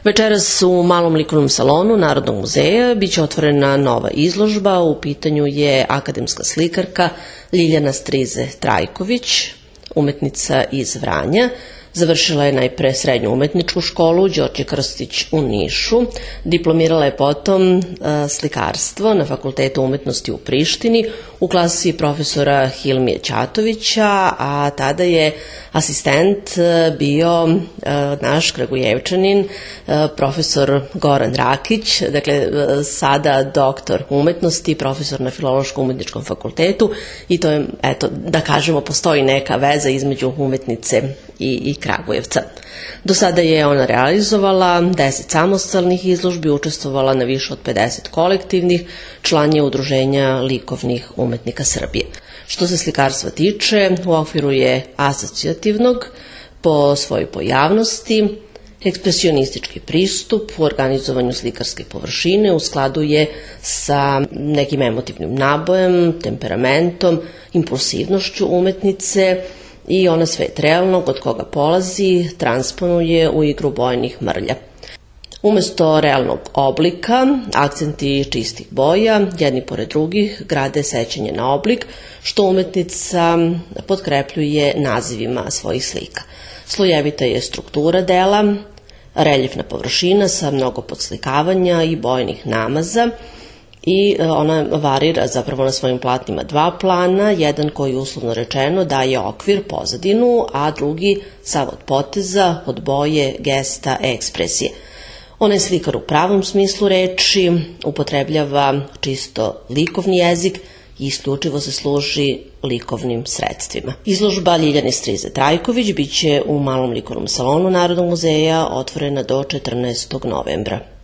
Večeras u Malom likovnom salonu Narodnog muzeja biće otvorena nova izložba. U pitanju je akademska slikarka Ljiljana Strize Trajković, umetnica iz Vranja. Završila je najpre srednju umetničku školu Đorđe Krstić u Nišu. Diplomirala je potom slikarstvo na Fakultetu umetnosti u Prištini u klasi profesora Hilmije Ćatovića, a tada je asistent bio naš Kragujevčanin, profesor Goran Rakić, dakle sada doktor umetnosti, profesor na Filološko-umetničkom fakultetu, i to je, eto, da kažemo, postoji neka veza između umetnice i Kragujevca. Do sada je ona realizovala 10 samostalnih izložbi, učestvovala na više od 50 kolektivnih, član je Udruženja likovnih umetnika Srbije. Što se slikarstva tiče, u okviru je asocijativnog po svojoj pojavnosti, ekspresionistički pristup u organizovanju slikarske površine u skladu je sa nekim emotivnim nabojem, temperamentom, impulsivnošću umetnice, i ona svet realnog od koga polazi transponuje u igru bojnih mrlja. Umesto realnog oblika, akcenti čistih boja, jedni pored drugih, grade sećanje na oblik, što umetnica potkrepljuje nazivima svojih slika. Slojevita je struktura dela, reljefna površina sa mnogo podslikavanja i bojnih namaza, i ona varira zapravo na svojim platnima dva plana, jedan koji uslovno rečeno daje okvir, pozadinu, a drugi sav od poteza, od boje, gesta, ekspresije. Ona je slikar u pravom smislu reči, upotrebljava čisto likovni jezik i isključivo se služi likovnim sredstvima. Izložba Ljiljane Strize Trajković biće u Malom likovnom salonu Narodnog muzeja otvorena do 14. novembra.